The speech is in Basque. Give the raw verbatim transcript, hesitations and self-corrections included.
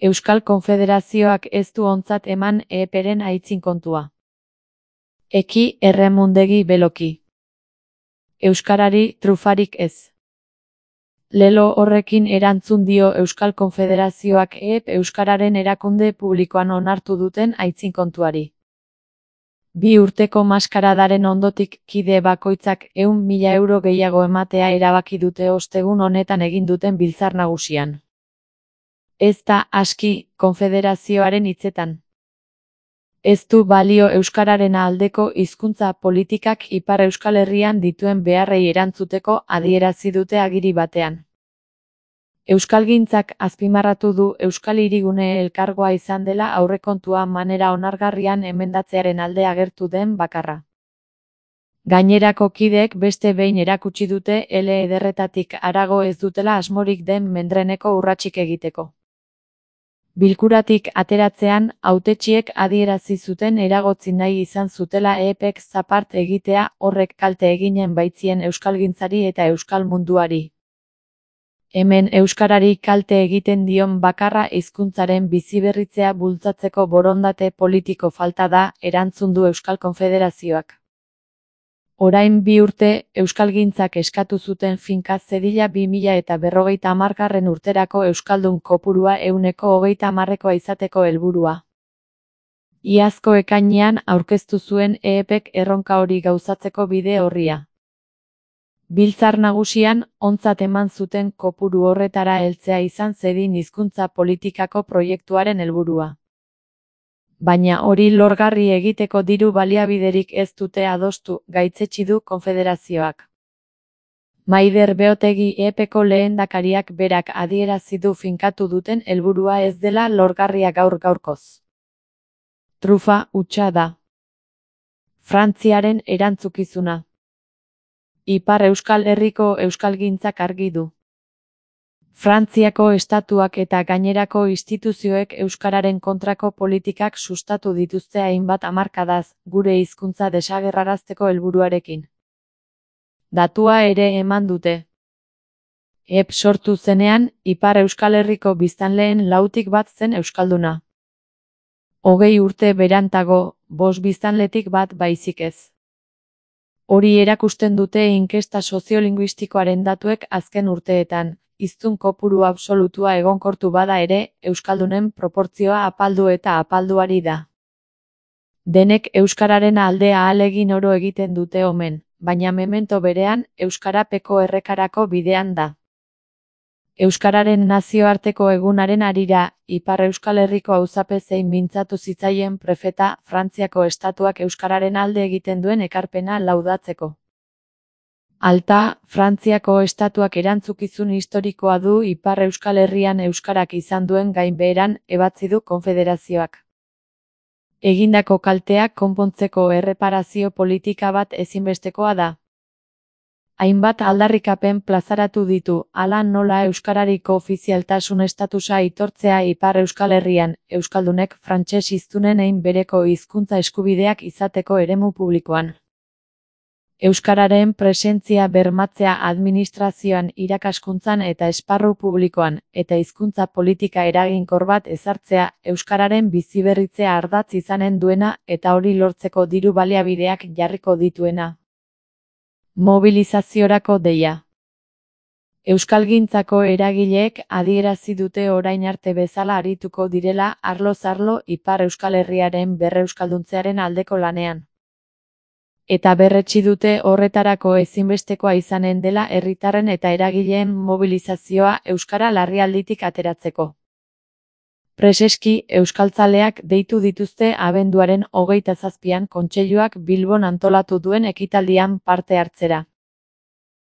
Euskal Konfederazioak ez du ontzat eman E E Pren aitzinkontua. Eki erremundegi beloki. Euskarari trufarik ez. Lelo horrekin erantzun dio Euskal Konfederazioak E E P Euskararen erakunde publikoan onartu duten aitzinkontuari. Bi urteko maskaradaren ondotik kide bakoitzak ehun mila euro gehiago ematea erabaki dute ostegun honetan egin duten biltzar nagusian. Ez da aski, konfederazioaren hitzetan. Ez du balio euskararen aldeko hizkuntza politikak Ipar Euskal Herrian dituen beharrei erantzuteko adierazi dute agiri batean. Euskalgintzak azpimarratu du Euskal Hirigune elkargoa izan dela aurrekontua manera onargarrian emendatzearen alde agertu den bakarra. Gainerako kideek beste behin erakutsi dute ele ederretatik harago ez dutela asmorik den mendreneko urratsik egiteko. Bilkuratik ateratzean, hautetsiek adierazi zuten eragotzi nahi izan zutela E E Pek zapart egitea horrek kalte eginen baitzien euskalgintzari eta euskal munduari. Hemen euskarari kalte egiten dion bakarra hizkuntzaren biziberritzea bultzatzeko borondate politiko falta da, erantzun du Euskal Konfederazioak. Orain bi urte, euskalgintzak eskatu zuten finka zedila bi mila eta berrogeita hamargarren urterako euskaldun kopurua ehuneko hogeita hamarrekoa izateko helburua. Iazko ekainean aurkeztu zuen E E Pek erronka hori gauzatzeko bide orria. Biltzar nagusian, ontzat eman zuten kopuru horretara heltzea izan zedin hizkuntza politikako proiektuaren helburua. Baina hori lorgarri egiteko diru baliabiderik ez dute adostu, gaitzetsi du Konfederazioak. Maider Beotegi E E Peko lehendakariak berak adierazi du finkatu duten helburua ez dela lorgarria gaur gaurkoz. Trufa hutsa da. Frantziaren erantzukizuna. Ipar Euskal Herriko euskalgintzak argi du. Frantziako estatuak eta gainerako instituzioek euskararen kontrako politikak sustatu dituzte hainbat hamarkadaz, gure hizkuntza desagerrarazteko helburuarekin. Datua ere eman dute. E E P sortu zenean, Ipar Euskal Herriko biztanleen lautik bat zen euskalduna. Hogei urte berantago, bost biztanletik bat baizik ez. Hori erakusten dute inkesta soziolinguistikoaren datuek azken urteetan. Hiztun kopuru absolutua egonkortu bada ere, euskaldunen proportzioa apaldu eta apalduari da. Denek euskararen alde ahalegin oro egiten dute omen, baina memento berean, euskarapeko errekarako bidean da. Euskararen nazioarteko egunaren harira, Ipar Euskal Herriko auzapezein mintzatu zitzaien prefeta, Frantziako estatuak euskararen alde egiten duen ekarpena laudatzeko. Alta, Frantziako estatuak erantzukizun historikoa du Ipar Euskal Herrian euskarak izan duen gainbeheran, ebatzi du Konfederazioak. Egindako kalteak konpontzeko erreparazio politika bat ezinbestekoa da. Hainbat aldarrikapen plazaratu ditu, hala nola euskarariko ofizialtasun estatusa aitortzea Ipar Euskal Herrian, euskaldunek frantses hiztunen hein bereko hizkuntza eskubideak izateko eremu publikoan. Euskararen presentzia bermatzea administrazioan, irakaskuntzan eta esparru publikoan, eta hizkuntza politika eraginkor bat ezartzea, euskararen biziberritzea ardatz izanen duena eta hori lortzeko diru baliabideak jarriko dituena. Mobilizaziorako deia. Euskalgintzako eragileek adierazi dute orain arte bezala arituko direla arloz arlo Ipar Euskal Herriaren berreuskalduntzearen aldeko lanean. Eta berretsi dute horretarako ezinbestekoa izanen dela herritarren eta eragileen mobilizazioa euskara larrialditik ateratzeko. Preseski, euskaltzaleak deitu dituzte abenduaren hogeita zazpian Kontseiluak Bilbon antolatu duen ekitaldian parte hartzera.